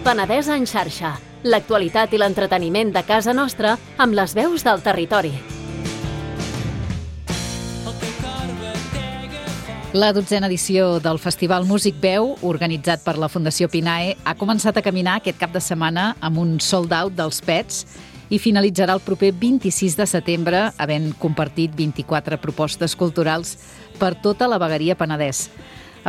Penedès en xarxa. L'actualitat i l'entreteniment de casa nostra amb les veus del territori. La 12a edició del Festival Músic Veu, organitzat per la Fundació Pinae, ha començat a caminar aquest cap de setmana amb un sold out dels Pets i finalitzarà el proper 26 de setembre, havent compartit 24 propostes culturals per tota la vegueria Penedès.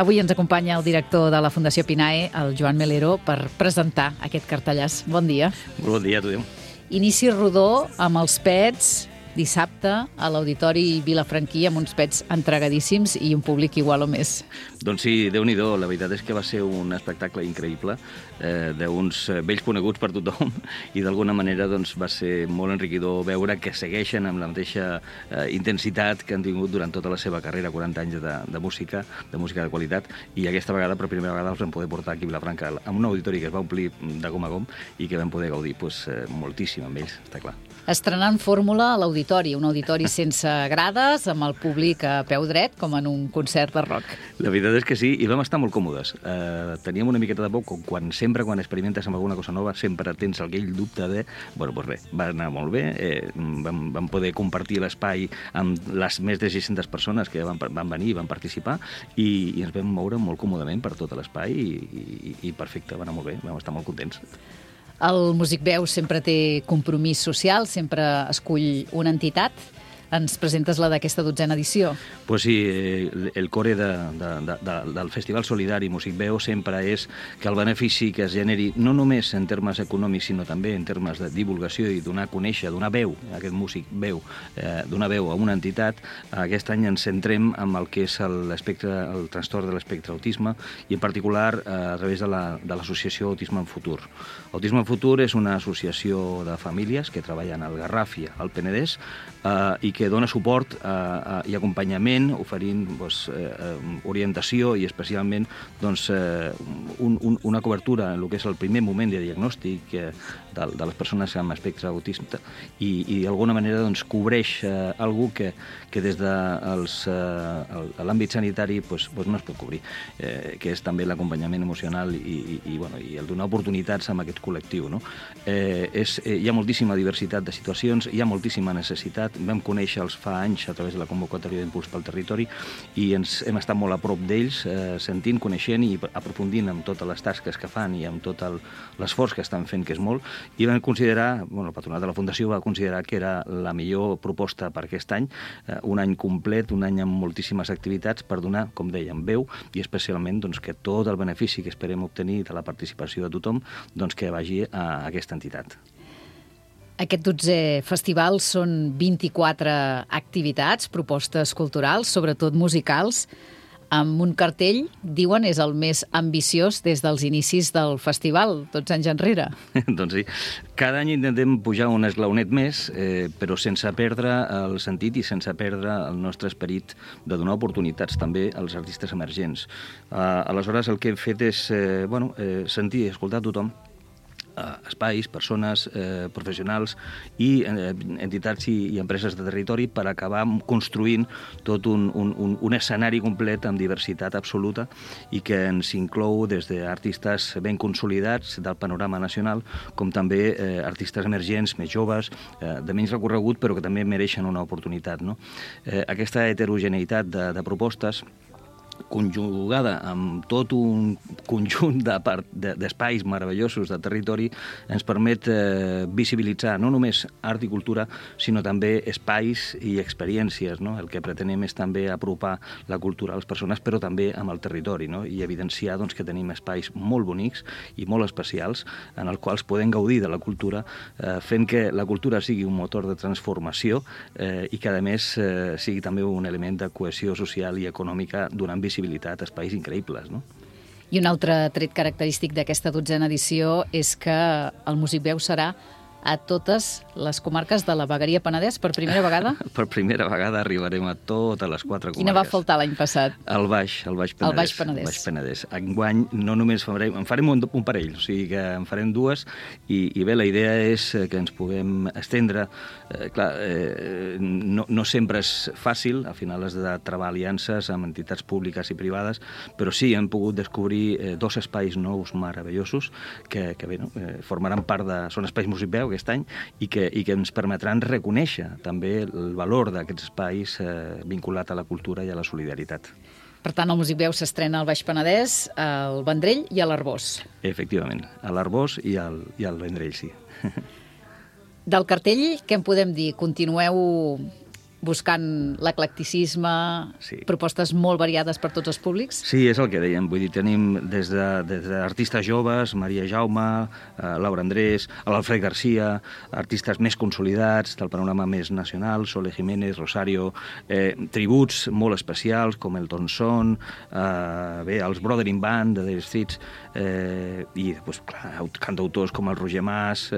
Avui ens acompanya el director de la Fundació Pinae, el Joan Melero, per presentar aquest cartellàs. Bon dia. Bon dia a tothom. Inici rodó amb els Pets dissabte a l'Auditori Vilafranquí amb uns Pets entregadíssims i un públic igual o més. Doncs sí, Déu-n'hi-do. La veritat és que va ser un espectacle increïble d'uns vells coneguts per tothom i d'alguna manera doncs, va ser molt enriquidor veure que segueixen amb la mateixa intensitat que han tingut durant tota la seva carrera, 40 anys de música de qualitat, i aquesta vegada, per primera vegada, els vam poder portar aquí a Vilafranca amb un auditori que es va omplir de gom a gom i que vam poder gaudir moltíssim amb ells, està clar. Estrenant fórmula a l'auditori, un auditori sense grades, amb el públic a peu dret, com en un concert de rock. La veritat és que sí, i vam estar molt còmodes. Teníem una miqueta de por, quan experimentes amb alguna cosa nova, sempre tens aquell dubte de... Bueno, doncs res, va anar molt bé, vam poder compartir l'espai amb les més de 600 persones que van venir i van participar, i ens vam moure molt còmodament per tot l'espai, i perfecte, va anar molt bé, vam estar molt contents. El Músic Veu sempre té compromís social, sempre escull una entitat. Ens presentes la d'aquesta 12a edició. Pues sí, el core del Festival Solidari Músic Veu sempre és que el benefici que es generi, no només en termes econòmics, sinó també en termes de divulgació i donar a conèixer, donar veu, aquest músic veu, donar veu a una entitat. Aquest any ens centrem en el que és el trastorn de l'espectre autisme, i en particular a través de l'associació Autisme en Futur. Autisme en Futur és una associació de famílies que treballen al Garraf i al Penedès i que dona suport i acompanyament, oferint orientació i especialment una cobertura en el que és el primer moment de diagnòstic de les persones amb espectre autista, i d'alguna manera cobreix alguna cosa que des de l'àmbit sanitari no es pot cobrir, que és també l'acompanyament emocional i el donar oportunitats a aquest col·lectiu. Hi ha moltíssima diversitat de situacions, hi ha moltíssima necessitat. Vam conèixer-los fa anys a través de la convocatòria d'Impuls pel Territori i hem estat molt a prop d'ells, sentint, coneixent i aprofundint en totes les tasques que fan i amb tot l'esforç que estan fent, que és molt, i vam considerar, el patronat de la Fundació va considerar que era la millor proposta per aquest any, un any complet, un any amb moltíssimes activitats per donar, com dèiem, veu, i especialment que tot el benefici que esperem obtenir de la participació de tothom que vagi a aquesta entitat. Aquest 12è festival són 24 activitats, propostes culturals, sobretot musicals, amb un cartell, diuen, és el més ambiciós des dels inicis del festival, 12 anys enrere. Doncs sí, cada any intentem pujar un esglaonet més, però sense perdre el sentit i sense perdre el nostre esperit de donar oportunitats també als artistes emergents. Aleshores, el que hem fet és sentir i escoltar tothom, espais, persones, professionals i entitats i empreses de territori, per acabar construint tot un escenari complet amb diversitat absoluta i que ens inclou des d'artistes ben consolidats del panorama nacional com també artistes emergents, més joves, de menys recorregut, però que també mereixen una oportunitat. Aquesta heterogeneïtat de propostes, conjugada amb tot un conjunt d'espais meravellosos de territori, ens permet visibilitzar no només art i cultura, sinó també espais i experiències. El que pretenem és també apropar la cultura a les persones, però també amb el territori, i evidenciar que tenim espais molt bonics i molt especials en els quals podem gaudir de la cultura, fent que la cultura sigui un motor de transformació i que, a més, sigui també un element de cohesió social i econòmica, donant visibilitat a espais increïbles. I un altre tret característic d'aquesta 12a edició és que el Músic Veu serà a totes les comarques de la Vegueria Penedès per primera vegada? Per primera vegada arribarem a totes les 4 comarques. Quina va faltar l'any passat? El Baix Penedès. El Baix Penedès. El Baix Penedès. Enguany no només en farem un parell, o sigui que en farem 2 i bé, la idea és que ens puguem estendre. No sempre és fàcil, al final has de trobar aliances amb entitats públiques i privades, però sí, hem pogut descobrir 2 espais nous meravellosos que bé, no? Formaran part de... Són espais Músic Veu aquest any i que ens permetran reconèixer també el valor d'aquests espais vinculat a la cultura i a la solidaritat. Per tant, el Músic Veu s'estrena al Baix Penedès, al Vendrell i a l'Arboç. Efectivament, a l'Arboç i al Vendrell, sí. Del cartell, què en podem dir? Continueu buscant l'eclecticisme, sí, propostes molt variades per tots els públics? Sí, és el que dèiem. Vull dir, tenim des d'artistes joves, Maria Jaume, Laura Andrés, l'Alfred Garcia, artistes més consolidats del panorama més nacional, Sole Jiménez, Rosario, tributs molt especials com el Tonson, bé, els Brothering Band de The Streets, i després, clar, cantautors com el Roger Mas,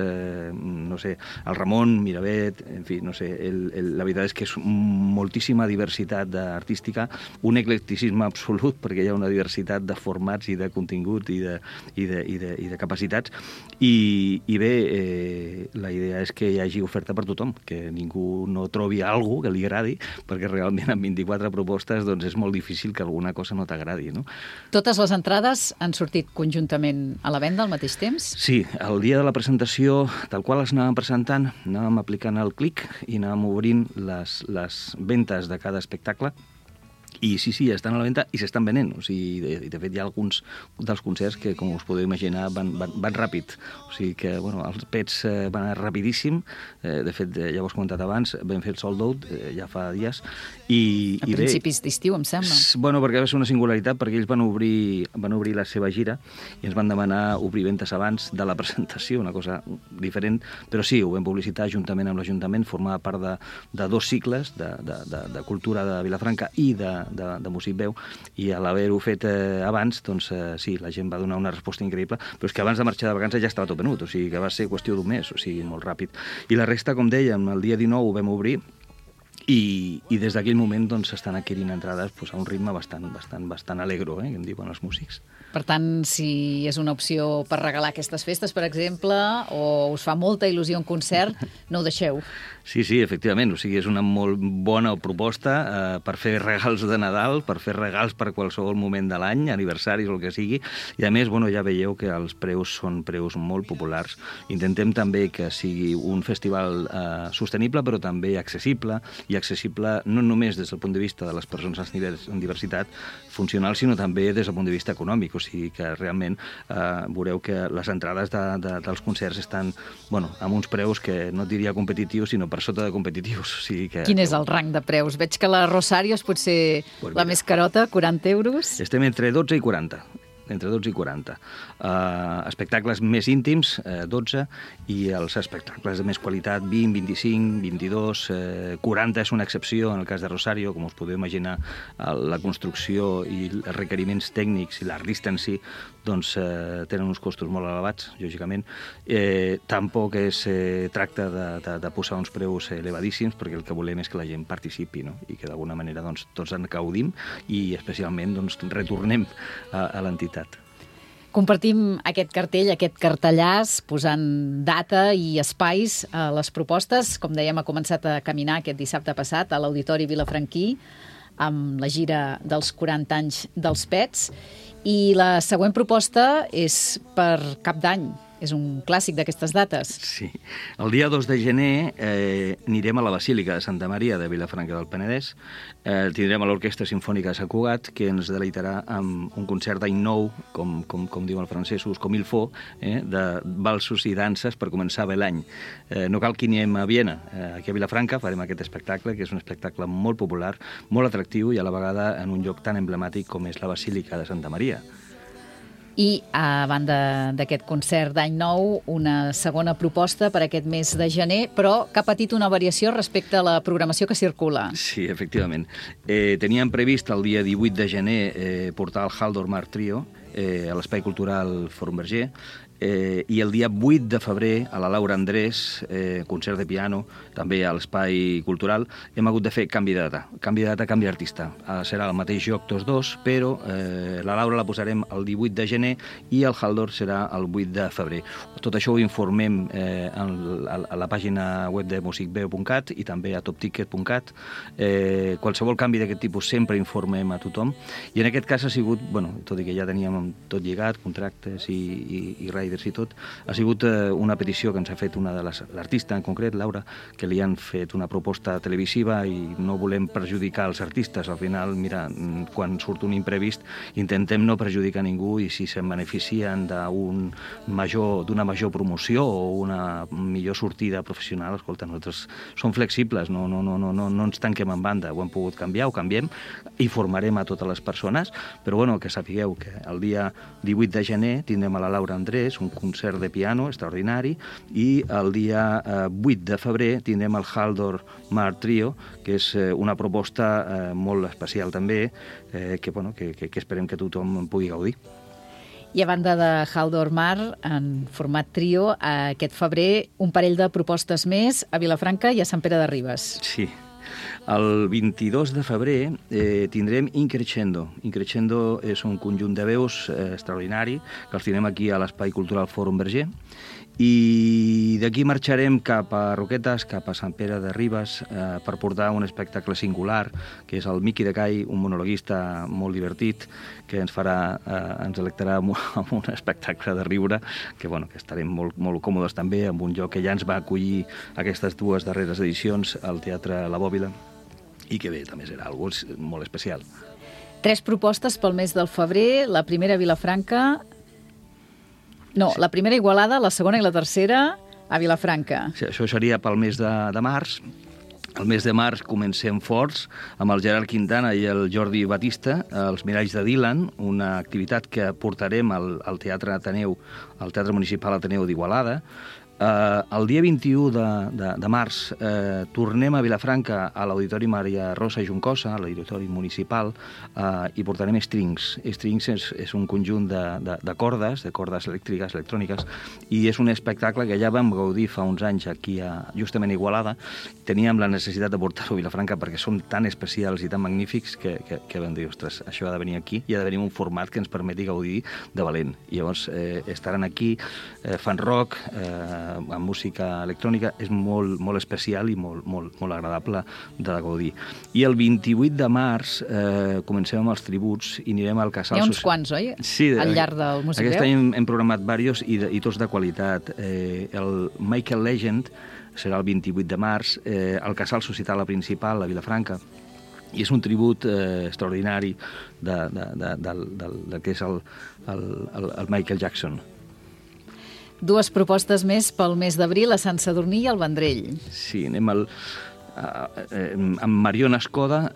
no sé, el Ramon Miravet, en fi, no sé, la veritat és que és moltíssima diversitat artística, un eclecticisme absolut, perquè hi ha una diversitat de formats i de contingut i de capacitats, i bé, la idea és que hi hagi oferta per tothom, que ningú no trobi alguna que li agradi, perquè realment amb 24 propostes doncs és molt difícil que alguna cosa no t'agradi, no? Totes les entrades han sortit conjuntament a la venda al mateix temps? Sí, el dia de la presentació, tal qual les anàvem presentant, anàvem aplicant el clic i anàvem obrint les ventes de cada espectacle. I sí, estan a la venda i s'estan venent. O sigui, de fet, hi ha alguns dels concerts que, com us podeu imaginar, van ràpid. O sigui que, bueno, els Pets van anar rapidíssim. De fet, ja ho has comentat abans, vam fer el sold out ja fa dies. A principis d'estiu, em sembla. Bueno, perquè va ser una singularitat, perquè ells van obrir la seva gira i ens van demanar obrir ventes abans de la presentació, una cosa diferent, però sí, ho vam publicitar juntament amb l'Ajuntament, formava part de 2 cicles de cultura de Vilafranca i de Músic Veu, i a l'haver-ho fet abans, doncs sí, la gent va donar una resposta increïble, però és que abans de marxar de vacances ja estava tot venut, o sigui que va ser qüestió d'un mes, o sigui, molt ràpid. I la resta, com dèiem, el dia 19 ho vam obrir, i des d'aquell moment doncs s'estan adquirint entrades a un ritme bastant alegro, que en diuen els músics. Per tant, si és una opció per regalar aquestes festes, per exemple, o us fa molta il·lusió un concert, no ho deixeu. Sí, efectivament, o sigui, és una molt bona proposta per fer regals de Nadal, per fer regals per qualsevol moment de l'any, aniversaris o el que sigui, i a més, bueno, ja veieu que els preus són preus molt populars. Intentem també que sigui un festival sostenible, però també accessible, i accessible no només des del punt de vista de les persones en diversitat funcional, sinó també des del punt de vista econòmic, o sigui que realment veureu que les entrades dels concerts estan, bueno, amb uns preus que no diria competitius, sinó per sota de competitius. O sigui que... Quin és el rang de preus? Veig que la Rosario és potser la més carota, 40 euros. Estem entre 12 i 40. Entre 12 i 40. Espectacles més íntims, 12, i els espectacles de més qualitat, 20, 25, 22, 40 és una excepció en el cas de Rosario, com us podeu imaginar, la construcció i els requeriments tècnics i l'artista en si doncs tenen uns costos molt elevats, lògicament. Tampoc es tracta de posar uns preus elevadíssims, perquè el que volem és que la gent participi, no? I que d'alguna manera doncs, tots en gaudim i especialment doncs, retornem a l'entitat. Compartim aquest cartell, aquest cartellàs, posant data i espais a les propostes. Com dèiem, ha començat a caminar aquest dissabte passat a l'Auditori Vilafranquí amb la gira dels 40 anys dels Pets. I la següent proposta és per Cap d'Any. És un clàssic d'aquestes dates. Sí. El dia 2 de gener anirem a la Basílica de Santa Maria de Vilafranca del Penedès. Tindrem a l'Orquestra Simfònica de Sant Cugat, que ens deleitarà amb un concert d'any nou, com diuen els francesos, com il faut, de valsos i danses per començar bé l'any. No cal que anem a Viena. Aquí a Vilafranca farem aquest espectacle, que és un espectacle molt popular, molt atractiu i a la vegada en un lloc tan emblemàtic com és la Basílica de Santa Maria. I, a banda d'aquest concert d'any nou, una segona proposta per aquest mes de gener, però que ha patit una variació respecte a la programació que circula. Sí, efectivament. Teníem previst el dia 18 de gener portar el Haldor Mar Trio a l'Espai Cultural Fòrum Verger. I el dia 8 de febrer, a la Laura Andrés, concert de piano, també a l'Espai Cultural, hem hagut de fer canvi de data, canvi d'artista. Serà el mateix joc tots dos, però la Laura la posarem el 18 de gener i el Haldor serà el 8 de febrer. Tot això ho informem a la pàgina web de musicveu.cat i també a topticket.cat. Qualsevol canvi d'aquest tipus sempre informem a tothom. I en aquest cas ha sigut, tot i que ja teníem tot lligat, contractes i riders i tot, ha sigut una petició que ens ha fet l'artista en concret, Laura, que li han fet una proposta televisiva i no volem perjudicar els artistes. Al final, mira, quan surt un imprevist, intentem no perjudicar ningú i si se'n beneficien d'una major promoció o una millor sortida professional, escolta, nosaltres som flexibles, no ens tanquem en banda, ho hem pogut canviar, ho canviem, informarem a totes les persones, però que sapigueu que el dia 18 de gener tindrem a la Laura Andrés un concert de piano extraordinari i el dia 8 de febrer tindrem el Haldor Mar Trio, que és una proposta molt especial també, que esperem que tothom pugui gaudir. I a banda de Haldor Mar, en format trio, aquest febrer un parell de propostes més a Vilafranca i a Sant Pere de Ribes. Sí. El 22 de febrer tindrem Increscendo. Increscendo és un conjunt de veus extraordinari que els tindrem aquí a l'Espai Cultural Fòrum Verger. I d'aquí marxarem cap a Roquetes, cap a Sant Pere de Ribes, per portar un espectacle singular, que és el Miqui de Cai, un monologuista molt divertit, que ens delectarà amb un espectacle de riure, que estarem molt còmodes també, amb un lloc que ja ens va acollir aquestes dues darreres edicions, al Teatre La Bòbila, i que bé, també serà algo molt especial. 3 propostes pel mes del febrer, la primera a Vilafranca... No, sí. La primera a Igualada, la segona i la tercera a Vilafranca. Sí, això seria pel mes de març. El mes de març comencem forts amb el Gerard Quintana i el Jordi Batista, els Miralls de Dylan, una activitat que portarem al Teatre Ateneu, al Teatre Municipal Ateneu d'Igualada. El dia 21 de març tornem a Vilafranca a l'Auditori Maria Rosa Juncosa, a l'Auditori Municipal, i portarem Strings. Strings és un conjunt de cordes elèctriques, electròniques, i és un espectacle que ja vam gaudir fa uns anys aquí justament a Igualada. Teníem la necessitat de portar-ho a Vilafranca perquè són tan especials i tan magnífics que vam dir, ostres, això ha de venir aquí i ha de venir un format que ens permeti gaudir de valent. I llavors estaran aquí, fan rock, amb música electrònica, és molt especial i molt agradable de gaudir. I el 28 de març comencem amb els tributs i anirem al Casal... Hi ha uns quants, oi? Sí. Al llarg del Musicveu? Aquest any hem programat diversos i tots de qualitat. El Michael Legend serà el 28 de març, al Casal Societal Principal, a Vilafranca, i és un tribut extraordinari del que és el Michael Jackson. 2 propostes més pel mes d'abril a Sant Sadurní i al Vendrell. Sí, anem amb Mariona Escoda,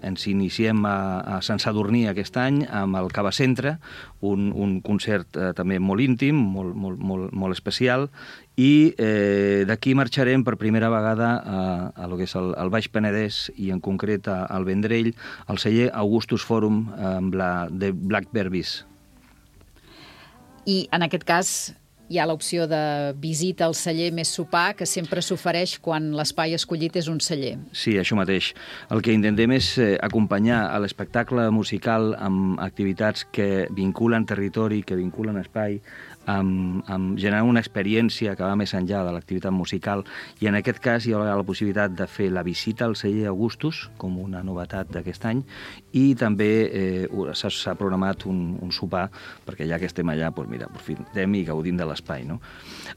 ens iniciem a Sant Sadurní aquest any amb el Cava Centre, un concert també molt íntim, molt especial, i d'aquí marxarem per primera vegada a lo que és el Baix Penedès i en concret al Vendrell, al celler Augustus Forum amb la The Black Berbis. I en aquest cas hi ha l'opció de visita al celler més sopar, que sempre s'ofereix quan l'espai escollit és un celler. Sí, això mateix. El que intentem és acompanyar a l'espectacle musical amb activitats que vinculen territori, que vinculen espai, amb generar una experiència que va més enllà de l'activitat musical, i en aquest cas hi haurà la possibilitat de fer la visita al celler Augustus, com una novetat d'aquest any, i també s'ha programat un sopar, perquè ja que estem allà, doncs mira, aprofitem i gaudim de l'espai, no?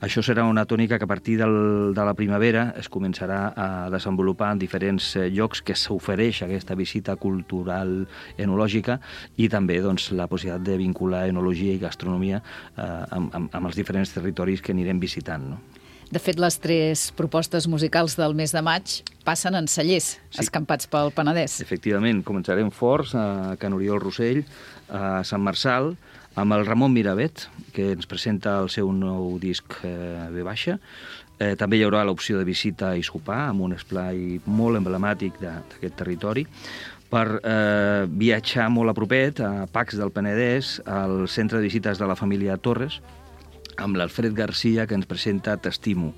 Això serà una tònica que a partir de la primavera es començarà a desenvolupar en diferents llocs que s'ofereix aquesta visita cultural enològica, i també doncs, la possibilitat de vincular enologia i gastronomia amb els diferents territoris que anirem visitant, no? De fet, les 3 propostes musicals del mes de maig passen en cellers, sí, escampats pel Penedès. Efectivament, començarem forts a Can Oriol Rossell, a Sant Marçal, amb el Ramon Miravet, que ens presenta el seu nou disc V-. També hi haurà l'opció de visita i sopar, amb un esplai molt emblemàtic d'aquest territori, per viatjar molt a propet, a Pacs del Penedès, al centre de visites de la família Torres, amb l'Alfred Garcia, que ens presenta T'estimo,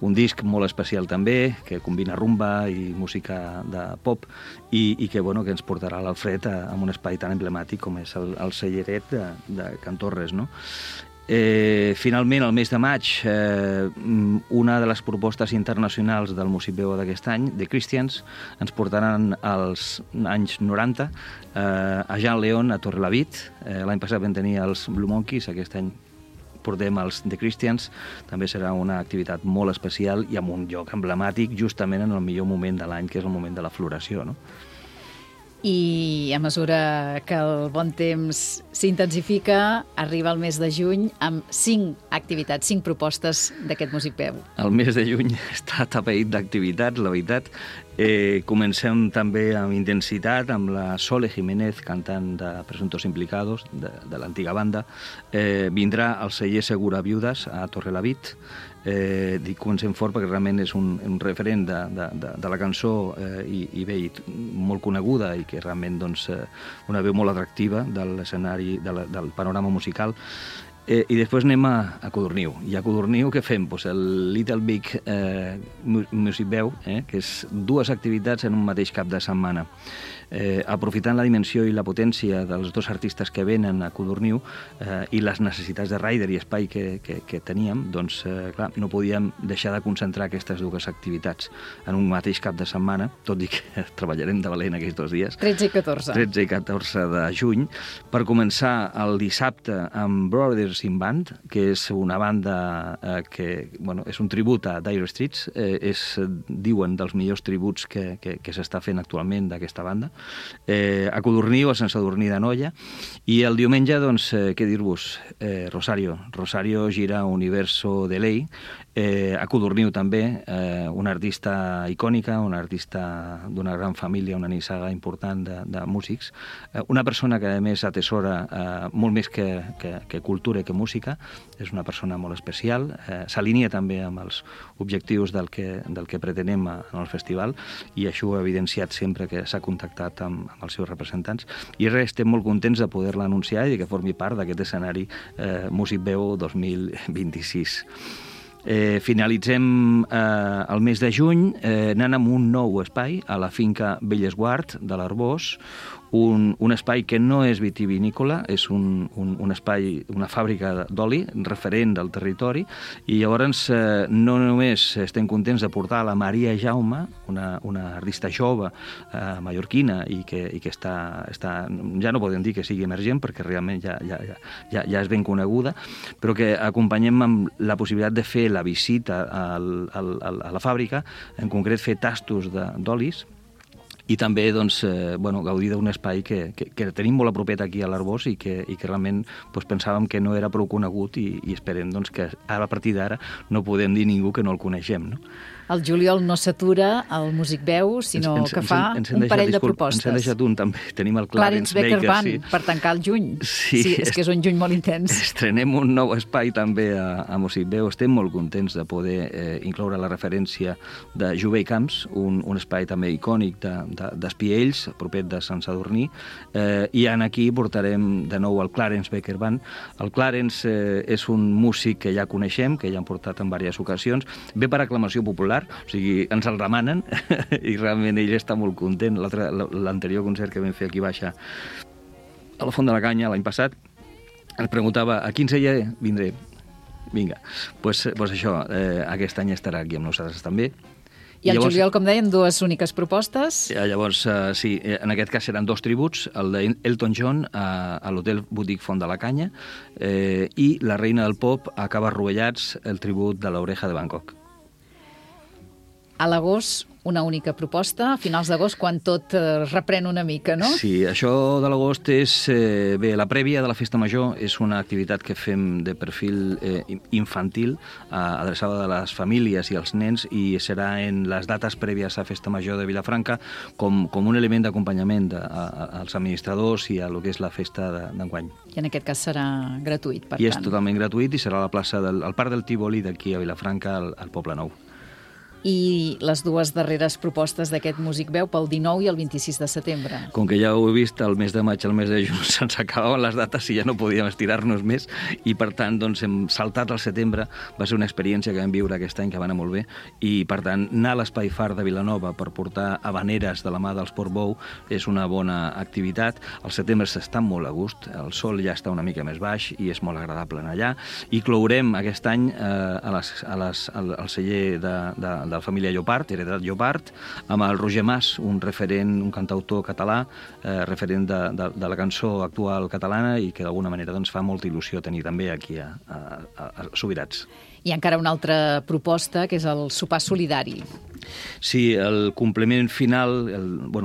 un disc molt especial també, que combina rumba i música de pop, i que, bueno, que ens portarà l'Alfred a un espai tan emblemàtic com és el celleret de Can Torres, no? Finalment, al mes de maig, una de les propostes internacionals del Músic Veu d'aquest any, The Christians, ens portaran als anys 90 a Jean León, a Torrelavit. L'any passat vam tenir els Blue Monkeys, aquest any portem els The Christians. També serà una activitat molt especial i amb un lloc emblemàtic justament en el millor moment de l'any, que és el moment de la floració, no? I a mesura que el bon temps s'intensifica, arriba el mes de juny amb 5 activitats, 5 propostes d'aquest Músic Veu. El mes de juny està atapeït d'activitats, la veritat. Comencem també amb intensitat amb la Sole Jiménez, cantant de Presuntos Implicados, de l'antiga banda. Vindrà el celler Segura Viudes a Torrelavit. Dic comencem fort perquè realment és un referent de la cançó i bé, molt coneguda i que realment doncs, una veu molt atractiva de l'escenari, del panorama musical. I després anem a Codorniu. I a Codorniu què fem? Pues el Little Big Music Veu, que és 2 activitats en un mateix cap de setmana. Aprofitant la dimensió i la potència dels 2 artistes que venen a Codorniu i les necessitats de rider i espai que teníem, doncs, clar, no podíem deixar de concentrar aquestes 2 activitats en un mateix cap de setmana, tot i que treballarem de valent aquests 2 dies. 13 i 14. 13 i 14 de juny. Per començar el dissabte amb Brothers in Band, que és una banda que, bueno, és un tribut a Dire Straits, diuen dels millors tributs que s'està fent actualment d'aquesta banda. A Codorniu, a Sant Sadurní d'Anoia, i el diumenge, doncs, què dir-vos? Rosario gira Universo de Ley, a Codorniu també, una artista icònica, una artista d'una gran família, una nissaga important de músics, una persona que a més atesora molt més que cultura i que música, és una persona molt especial, s'alinea també amb els objectius del que pretenem en el festival, i això ho ha evidenciat sempre que s'ha contactat amb els seus representants, i res, estem molt contents de poder-la anunciar i que formi part d'aquest escenari Músic Veu 2026. Finalitzem el mes de juny anant amb un nou espai a la finca Bellesguard de l'Arbós, un espai que no és vitivinícola, és un espai, una fàbrica d'oli, referent del territori, i llavors no només estem contents de portar la Maria Jaume, una artista jove mallorquina i que està, ja no podem dir que sigui emergent perquè realment ja és ben coneguda, però que acompanyem amb la possibilitat de fer la visita a la fàbrica, en concret fer tastos d'olis, i també doncs, gaudir d'un espai que tenim molt a propet aquí a l'Arbós i que realment pensàvem que no era prou conegut i esperem que ara, a partir d'ara, no podem dir ningú que no el coneixem, no? El juliol no s'atura al Músic Veu, sinó que fa un parell de propostes. Ens hem deixat un, també. Tenim el Clarence Baker Band, per tancar el juny. Sí, és que és un juny molt intens. Estrenem un nou espai també a Músic Veu. Estem molt contents de poder incloure la referència de Jovell Camps, un espai també icònic d'Espiells, propet de Sant Sadurní, i aquí portarem de nou el Clarence Baker Band. El Clarence és un músic que ja coneixem, que ja han portat en diverses ocasions, ve per aclamació popular, o sigui, ens el demanen i realment ell està molt content. L'anterior concert que vam fer aquí baixa a la Font de la Canya l'any passat ens preguntava a quin celler vindré. Vinga, doncs això, aquest any estarà aquí amb nosaltres també. I el juliol, com deien, 2 úniques propostes. Llavors, sí, en aquest cas seran 2 tributs, el d'Elton John a l'Hotel Boutique Font de la Canya i la Reina del Pop a Caves Rovellats, el tribut de l'Oreja de Bangkok. A l'agost, una única proposta, a finals d'agost, quan tot reprèn una mica, no? Sí, això de l'agost és... Bé, la prèvia de la Festa Major és una activitat que fem de perfil infantil, adreçada a les famílies i als nens, i serà en les dates prèvies a Festa Major de Vilafranca com un element d'acompanyament als administradors i a lo que és la festa d'enguany. I en aquest cas serà gratuït, per tant. I és totalment gratuït i serà a la plaça al Parc del Tívoli d'aquí a Vilafranca, al Poble Nou. i les dues darreres propostes d'aquest Músic Veu pel 19 i el 26 de setembre. Com que ja ho he vist, el mes de maig i el mes de juny se'ns acabaven les dates i ja no podíem estirar-nos més, i per tant doncs, hem saltat al setembre. Va ser una experiència que vam viure aquest any que va anar molt bé, i per tant anar a l'Espai Far de Vilanova per portar havaneres de la mà dels Portbou és una bona activitat. Al setembre s'està molt a gust, el sol ja està una mica més baix i és molt agradable anar allà, i clourem aquest any al celler de la família Llopart, Heredat Llopart, amb el Roger Mas, un referent, un cantautor català, referent de la cançó actual catalana, i que d'alguna manera doncs, fa molta il·lusió tenir també aquí a Subirats. Hi ha encara una altra proposta, que és el sopar solidari. Sí, el complement final,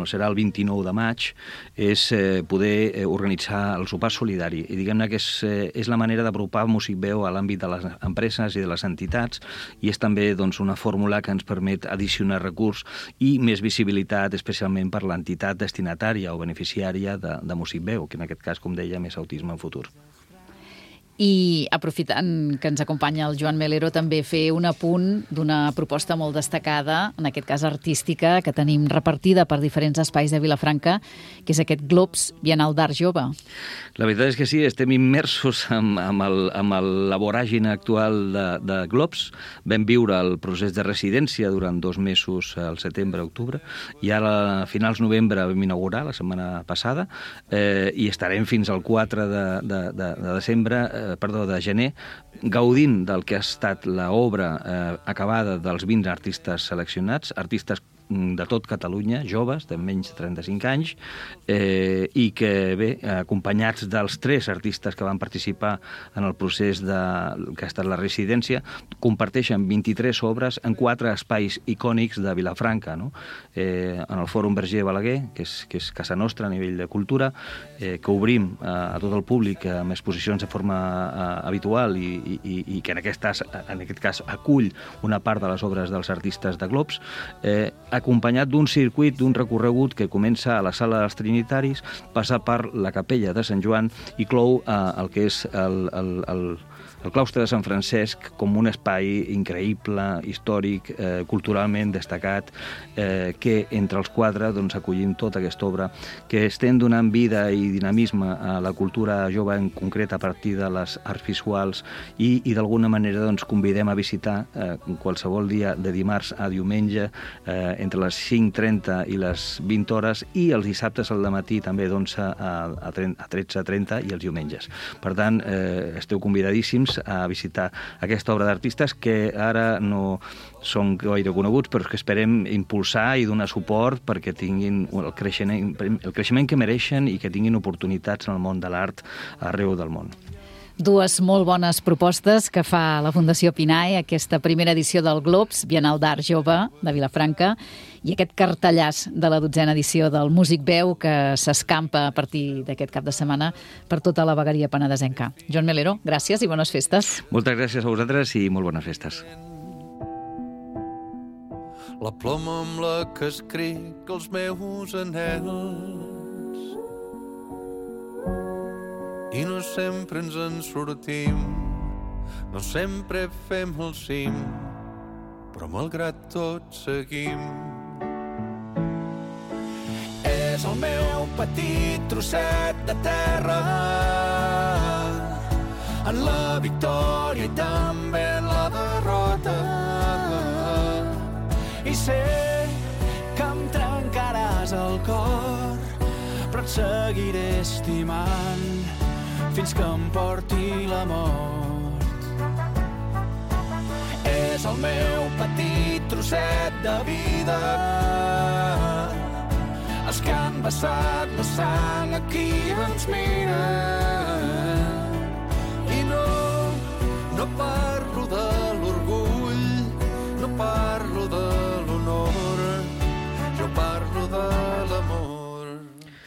serà el 29 de maig, és poder organitzar el sopar solidari. I diguem-ne que és la manera d'apropar Músic Veu a l'àmbit de les empreses i de les entitats, i és també doncs, una fórmula que ens permet addicionar recurs i més visibilitat, especialment per l'entitat destinatària o beneficiària de Músic Veu, que en aquest cas, com deia, és Autisme en Futur. I aprofitant que ens acompanya el Joan Melero, també fer un apunt d'una proposta molt destacada, en aquest cas artística, que tenim repartida per diferents espais de Vilafranca, que és aquest Globs Bienal d'Art Jove. La veritat és que sí, estem immersos amb la voràgine actual de Globs. Vam viure el procés de residència durant 2 mesos, al setembre-octubre, i ara a finals novembre vam inaugurar, la setmana passada, i estarem fins al 4 de gener, gaudint del que ha estat l'obra acabada dels 20 artistes seleccionats, artistes de tot Catalunya, joves, de menys de 35 anys, i que, bé, acompanyats dels 3 artistes que van participar en el procés que ha estat la residència, comparteixen 23 obres en 4 espais icònics de Vilafranca, no? En el Fòrum Verger Balaguer, que és casa nostra a nivell de cultura, que obrim a tot el públic amb exposicions de forma habitual i que en aquest cas acull una part de les obres dels artistes de Globs, acompanyat d'un circuit, d'un recorregut que comença a la Sala dels Trinitaris, passa per la Capella de Sant Joan i clou el que és el claustre de Sant Francesc com un espai increïble, històric, culturalment destacat, que entre els 4 doncs, acollim tota aquesta obra, que estem donant vida i dinamisme a la cultura jove, en concret a partir de les arts visuals, i d'alguna manera doncs, convidem a visitar qualsevol dia de dimarts a diumenge, entre les 5:30 i les 20 hores, i els dissabtes al dematí també d'11 a 13:30 i els diumenges. Per tant, esteu convidadíssims a visitar aquesta obra d'artistes que ara no són gaire coneguts, però que esperem impulsar i donar suport perquè tinguin el creixement que mereixen i que tinguin oportunitats en el món de l'art arreu del món. 2 molt bones propostes que fa la Fundació Pinae, aquesta primera edició del Globs Bienal d'Art Jove de Vilafranca, i aquest cartellàs de la 12a edició del Músic Veu que s'escampa a partir d'aquest cap de setmana per tota la vegueria penedesenca. Joan Melero, gràcies i bones festes. Moltes gràcies a vosaltres i molt bones festes. La ploma amb la que escric els meus anhels, i no sempre ens en sortim, no sempre fem el cim, però malgrat tot seguim. És el meu petit trosset de terra, en la victòria i també en la derrota, i sé que em trencaràs el cor, però et seguiré estimant fins que em porti la mort. És el meu petit trosset de vida, els que han vessat la sang aquí ens miren, i no parlo